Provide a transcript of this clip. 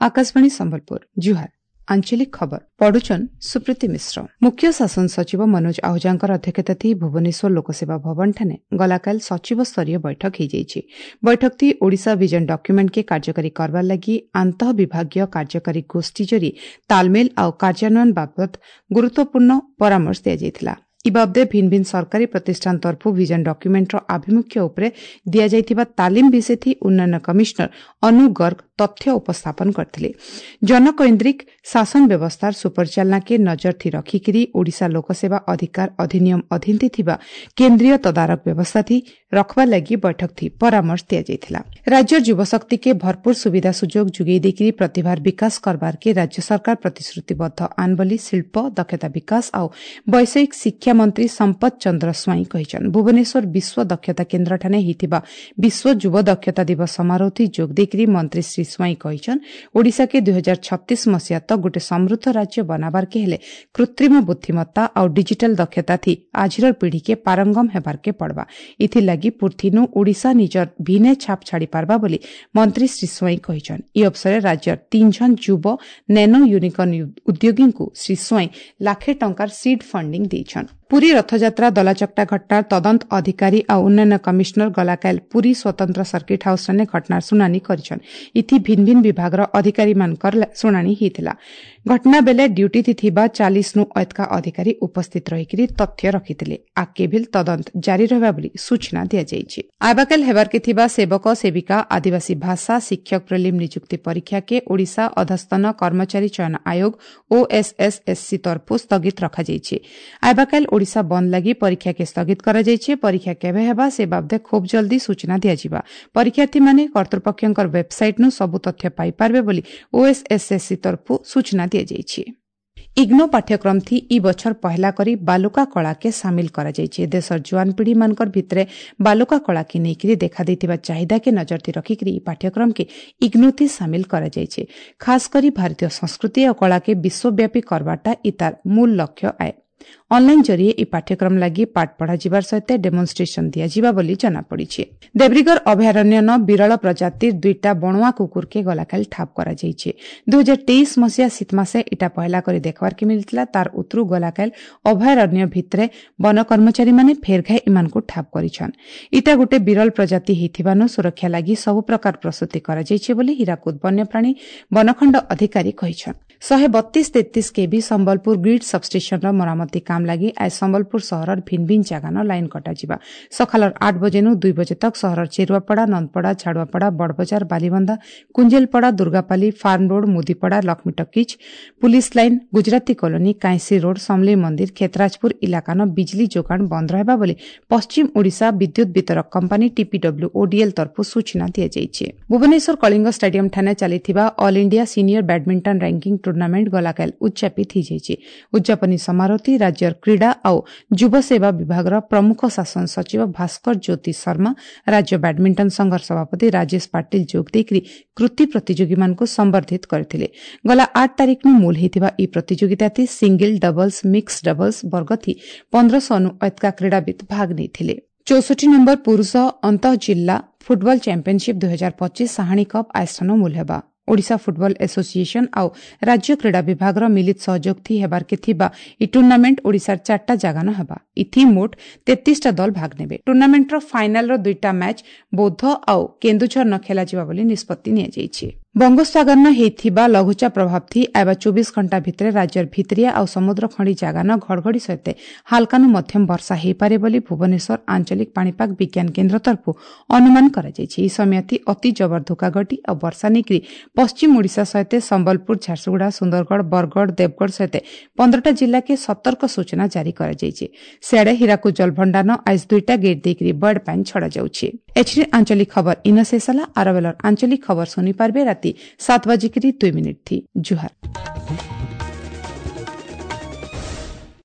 ଆକାଶବାଣୀ ସମ୍ବଲପୁର, ଜୁହାର। ଆଞ୍ଚଳିକ ଖବର ପଢୁଛନ୍ ସୁପ୍ରୀତି ମିଶ୍ର। ମୁଖ୍ୟ ଶାସନ ସଚିବ ମନୋଜ ଆହୁଜାଙ୍କର ଅଧ୍ୟକ୍ଷତାଥି ଭୁବନେଶ୍ୱର ଲୋକସେବା ଭବନଠାନେ ଗଲାକାଲ ସଚିବ ସ୍ତରୀୟ ବୈଠକ ହୋଇଯାଇଛି। ବୈଠକଥି ଓଡ଼ିଶା ଭିଜନ ଡକ୍ୟୁମେଣ୍ଟକେ କାର୍ଯ୍ୟକାରୀ କରବାର ଲାଗି ଆନ୍ତଃ ବିଭାଗୀୟ କାର୍ଯ୍ୟକାରୀ ଗୋଷ୍ଠୀ ଜରି ତାଲମେଲ ଆଉ କାର୍ଯ୍ୟାନ୍ୱୟନ ବାବଦ ଗୁରୁତ୍ୱପୂର୍ଣ୍ଣ ପରାମର୍ଶ ଦିଆଯାଇଥିଲା। ଇ ବାବଦେ ଭିନ୍ନ ଭିନ୍ନ ସରକାରୀ ପ୍ରତିଷ୍ଠାନ ତରଫରୁ ଭିଜନ ଡକ୍ୟୁମେଣ୍ଟର ଆଭିମୁଖ୍ୟ ଉପରେ ଦିଆଯାଇଥିବା ତାଲିମ ବିଷୟଥି ଉନ୍ନୟନ କମିଶନର ଅନୁ ଗର୍ଗ ତଥ୍ୟ ଉପସ୍ଥାପନ କରିଥିଲେ। ଜନକୈନ୍ଦ୍ରିକ ଶାସନ ବ୍ୟବସ୍ଥାର ସୁପରିଚାଳନାକେ ନଜରଥି ରଖିକିରି ଓଡ଼ିଶା ଲୋକସେବା ଅଧିକାର ଅଧିନିୟମ ଅଧୀନଥି ଥିବା କେନ୍ଦ୍ରୀୟ ତଦାରଖ ବ୍ୟବସ୍ଥାଥି ରଖବାର ଲାଗି ବୈଠକଥି ପରାମର୍ଶ ଦିଆଯାଇଥିଲା। ରାଜ୍ୟର ଯୁବଶକ୍ତିକେ ଭରପୁର ସୁବିଧା ସୁଯୋଗ ଯୋଗାଇ ଦେଇକିରି ପ୍ରତିଭାର ବିକାଶ କରବାରକେ ରାଜ୍ୟ ସରକାର ପ୍ରତିଶ୍ରୁତିବଦ୍ଧ ଆନ୍ ବୋଲି ଶିଳ୍ପ, ଦକ୍ଷତା ବିକାଶ ଆଉ ବୈଷୟିକ ଶିକ୍ଷା ମନ୍ତ୍ରୀ ସମ୍ପଦ ଚନ୍ଦ୍ର ସ୍ୱାଇଁ କହିଛନ୍। ଭୁବନେଶ୍ୱର ବିଶ୍ୱ ଦକ୍ଷତା କେନ୍ଦ୍ରଠାରେ ହୋଇଥିବା ବିଶ୍ୱ ଯୁବ ଦକ୍ଷତା ଦିବସ ସମାରୋହଥି ଯୋଗ ଦେଇକିରି ମନ୍ତ୍ରୀ ଶ୍ରୀ ସ୍ୱାଇଁ କହିଛନ୍, ଓଡ଼ିଶାକେ 2036 ମସିହା ତକ୍ ଗୋଟେ ସମୃଦ୍ଧ ରାଜ୍ୟ ବନାବାରକେ ହେଲେ କୃତ୍ରିମ ବୁଦ୍ଧିମତ୍ତା ଆଉ ଡିଜିଟାଲ ଦକ୍ଷତାଥି ଆଜିର ପିଢ଼ିକେ ପାରଙ୍ଗମ ହେବାରକେ ପଡ଼ବା। ଏଥିଲାଗି ପୁର୍ଥିନୁ ଓଡ଼ିଶା ନିଜର ଭିନେ ଛାପ ଛାଡ଼ି ପାରବା ବୋଲି ମନ୍ତ୍ରୀ ଶ୍ରୀ ସ୍ୱାଇଁ କହିଛନ୍। ଇ ଅବସରରେ ରାଜ୍ୟର ତିନି ଜଣ ଯୁବ ନେନୋ ୟୁନିକର୍ଣ୍ଣ ଉଦ୍ୟୋଗୀଙ୍କୁ ଶ୍ରୀ ସ୍ୱାଇଁ ଲାଖେ ଟଙ୍କାର ସିଡ୍ ଫଣ୍ଡିଂ ଦେଇଛନ୍। ପୁରୀ ରଥଯାତ୍ରା ଦଲାଚକଟା ଘଟଣାର ତଦନ୍ତ ଅଧିକାରୀ ଆଉ ଉନ୍ନୟନ କମିଶନର ଗଲାକାଲ ପୁରୀ ସ୍ୱତନ୍ତ୍ର ସର୍କିଟ ହାଉସ୍ଠାନେ ଘଟଣାର ଶୁଣାଣି କରିଛନ୍। ଇଥି ଭିନ୍ନ ଭିନ୍ନ ବିଭାଗର ଅଧିକାରୀମାନଙ୍କର ଶୁଣାଣି ହେଇଥିଲା। ଘଟଣା ବେଲେ ଡ୍ୟୁଟିଥି ଥିବା 40ନୁ ଅଏତକା ଅଧିକାରୀ ଉପସ୍ଥିତ ରହିକିରି ତଥ୍ୟ ରଖିଥିଲେ। ଆଗକେ ଭିଲ୍ ତଦନ୍ତ ଜାରି ରହିବା ବୋଲି ସୂଚନା ଦିଆଯାଇଛି। ଆବାକାଲ ହେବାରକେ ଥିବା ସେବକ ସେବିକା ଆଦିବାସୀ ଭାଷା ଶିକ୍ଷକ ପ୍ରିଲିମ୍ ନିଯୁକ୍ତି ପରୀକ୍ଷାକେ ଓଡ଼ିଶା ଅଧସ୍ତନ କର୍ମଚାରୀ ଚୟନ ଆୟୋଗ ଓଏସ୍ଏସ୍ଏସ୍ସି ତରଫରୁ ସ୍ଥଗିତ ରଖାଯାଇଛି। ଆବାକାଲ ଓଡ଼ିଶା ବନ୍ଦ ଲାଗି ପରୀକ୍ଷାକେ ସ୍ଥଗିତ କରାଯାଇଛି। ପରୀକ୍ଷା କେବେ ହେବା ସେ ବାବଦେ ଖୁବ୍ ଜଲ୍ଦି ସୂଚନା ଦିଆଯିବା। ପରୀକ୍ଷାର୍ଥୀମାନେ କର୍ତ୍ତୃପକ୍ଷଙ୍କର ୱେବସାଇଟ୍ନୁ ସବୁ ତଥ୍ୟ ପାଇପାରିବେ ବୋଲି ଓଏସ୍ଏସ୍ଏସ୍ସି ତରଫରୁ ସୂଚନା ଦିଆଯାଇଛି। ଇଗ୍ନୋ ପାଠ୍ୟକ୍ରମ ଥି ଇ ବଛର ପହଲା କରି ବାଲୁକା କଳାକେ ସାମିଲ କରାଯାଇଛି। ଦେଶର ଜୁଆନ ପିଢ଼ିମାନଙ୍କର ଭିତରେ ବାଲୁକା କଳାକେ ନେଇକରି ଦେଖାଦେଇଥିବା ଚାହିଦାକେ ନଜରଥି ରଖିକରି ଇ ପାଠ୍ୟକ୍ରମକେ ଇଗ୍ନୋଥି ସାମିଲ କରାଯାଇଛି। ଖାସ କରି ଭାରତୀୟ ସଂସ୍କୃତି ଆଉ କଳାକେ ବିଶ୍ୱବ୍ୟାପୀ କରବାଟା ଇ ତାର ମୂଳ ଲକ୍ଷ୍ୟ ଆଏ। ଅନଲାଇନ ଜରିଏ ଇ ପାଠ୍ୟକ୍ରମ ଲାଗି ପାଠ ପଢ଼ାଯିବାର ସହିତ ଡେମୋନ୍ଷ୍ଟ୍ରେସନ ଦିଆଯିବା ବୋଲି ଜଣାପଡ଼ିଛି। ଦେବ୍ରିଗଡ଼ ଅଭୟାରଣ୍ୟନ ବିରଳ ପ୍ରଜାତିର ଦୁଇଟା ବଣୁଆ କୁକୁରକେ ଗଲାକାଲି ଠାବ କରାଯାଇଛି। 2023 ମସିହା ଶୀତମାସେ ଇଟା ପହଲା କରି ଦେଖବାର୍କେ ମିଳିଥିଲା। ତାର ଉତରୁ ଗଲାକାଲି ଅଭୟାରଣ୍ୟ ଭିତରେ ବନ କର୍ମଚାରୀମାନେ ଫେରଘାଇ ଇମାନଙ୍କୁ ଠାବ କରିଛନ୍। ଇଟା ଗୋଟେ ବିରଳ ପ୍ରଜାତି ହେଇଥିବାନୁ ସୁରକ୍ଷା ଲାଗି ସବୁ ପ୍ରକାର ପ୍ରସ୍ତୁତି କରାଯାଇଛି ବୋଲି ହୀରାକୁଦ ବନ୍ୟପ୍ରାଣୀ ବନଖଣ୍ଡ ଅଧିକାରୀ କହିଛନ୍। 132-33 କେଭି ସମ୍ବଲପୁର ଗ୍ରିଡ୍ ସବଷ୍ଟେସନର ମରାମତି କାମ ଲାଗି ଆজ ସମ୍ବଲପୁର ସହରର ଭିନ୍ନ ଭିନ୍ନ ଜାଗାନ ଲାଇନ୍ କଟାଯିବା। ସକାଳର 8 ବଜେନୁ 2 ବଜେ ତକ୍ ସହରର Cheruapada, Nandapada, Jhaduapada, Badabazar, Balibandha, Kunjelpada, Durgapali, farm road, Mudipada, Lakshmi talkies, police line, Gujarati colony, Kainsi road, Samalei ମନ୍ଦିର, ଖେତରାଜପୁର ଇଲାକାନ ବିଜଲି ଯୋଗାଣ ବନ୍ଦ ରହିବା ବୋଲି ପଶ୍ଚିମ ଓଡ଼ିଶା ବିଦ୍ୟୁତ ବିତରକ କମ୍ପାନୀ ଟିପିଡବ୍ଲ୍ୟୁଓଡିଏଲ୍ ତରଫରୁ ସୂଚନା ଦିଆଯାଇଛି। ଭୁବନେଶ୍ୱର କଳିଙ୍ଗ ଷ୍ଟାଡିୟମ ଠାନେ ଚାଲିଥିବା all India senior badminton ranking tournament ଗଲାକାଲ ଉଦ୍ଯାପିତ ହୋଇଯାଇଛି। ଉଦ୍ଯାପନୀ ସମାରୋହଥି ରାଜ୍ୟର କ୍ରୀଡ଼ା ଆଉ ଯୁବସେବା ବିଭାଗର ପ୍ରମୁଖ ଶାସନ ସଚିବ ଭାସ୍କର ଜ୍ୟୋତି ଶର୍ମା, ରାଜ୍ୟ ବ୍ୟାଡମିଣ୍ଟନ ସଂଘର ସଭାପତି ରାଜେଶ ପାଟିଲ ଯୋଗ ଦେଇକରି କୃତି ପ୍ରତିଯୋଗୀମାନଙ୍କୁ ସମ୍ବର୍ଦ୍ଧିତ କରିଥିଲେ। ଗଲା 8 ତାରିଖନୁ ମୂଲ ହୋଇଥିବା ଏହି ପ୍ରତିଯୋଗିତାଥି ସିଙ୍ଗଲ, ଡବଲ୍ସ, ମିକ୍ସ ଡବଲ୍ସ ବର୍ଗଥି 1500ନୁ ଅଏତକା କ୍ରୀଡ଼ାବିତ୍ ଭାଗ ନେଇଥିଲେ। 64 ନମ୍ବର ପୁରୁଷ ଅନ୍ତଃ ଜିଲ୍ଲା ଫୁଟବଲ ଚାମ୍ପିୟନସିପ୍ 2025 ସାହାଣୀ କପ୍ ଆୟୋଜନ ମୂଲ ହେବା। ଓଡ଼ିଶା ଫୁଟବଲ ଆସୋସିଏସନ ଆଉ ରାଜ୍ୟ କ୍ରୀଡ଼ା ବିଭାଗର ମିଳିତ ସହଯୋଗଥି ହେବାରକେ ଥିବା ଇ ଟୁର୍ଣ୍ଣାମେଣ୍ଟ ଓଡ଼ିଶାର 4ଟା ଜାଗାନ ହେବା। ଇଥି ମୋଟ 33ଟା ଦଳ ଭାଗ ନେବେ। ଟୁର୍ଣ୍ଣାମେଣ୍ଟର ଫାଇନାଲର 2ଟା ମ୍ୟାଚ୍ ବୌଦ୍ଧ ଆଉ କେନ୍ଦୁଝର ନ ଖେଳାଯିବା ବୋଲି ନିଷ୍ପତ୍ତି ନିଆଯାଇଛି। ବଙ୍ଗୋପସାଗରନ ହେଇଥିବା ଲଘୁଚାପ ପ୍ରଭାବଥି ଆଇବା 24 ଘଣ୍ଟା ଭିତରେ ରାଜ୍ୟର ଭିତରିଆ ଆଉ ସମୁଦ୍ର ଖଣ୍ଡି ଜାଗାନ ଘଡ଼ଘଡ଼ି ସହିତ ହାଲକାନୁ ମଧ୍ୟମ ବର୍ଷା ହେଇପାରେ ବୋଲି ଭୁବନେଶ୍ୱର ଆଞ୍ଚଳିକ ପାଣିପାଗ ବିଜ୍ଞାନ କେନ୍ଦ୍ର ତରଫରୁ ଅନୁମାନ କରାଯାଇଛି। ଏହି ସମୟଥି ଅତି ଜବର ଧୋକାଘଟି ଆଉ ବର୍ଷା ନେଇକରି ପଶ୍ଚିମ ଓଡ଼ିଶା ସହିତ ସମ୍ବଲପୁର, ଝାରସୁଗୁଡ଼ା, ସୁନ୍ଦରଗଡ଼, ବରଗଡ଼, ଦେବଗଡ଼ ସହିତ 15ଟା ଜିଲ୍ଲାକେ ସତର୍କ ସୂଚନା ଜାରି କରାଯାଇଛି। ସିଆଡ଼େ ହୀରାକୁଦ ଜଳଭଣ୍ଡାର ଆଜ 2ଟା ଗେଟ୍ ଦେଇକରି ବର୍ଡ ପାଣି ଛଡ଼ାଯାଉଛି। ଏଛିରେ ଆଞ୍ଚଳିକ ଖବର ଇନ ଶେଷ ହେଲା। ଆରବେଲର ଆଞ୍ଚଳିକ ଖବର ଶୁଣିପାରିବେ ରାତି 7:02 ଥି। ଜୁହାର।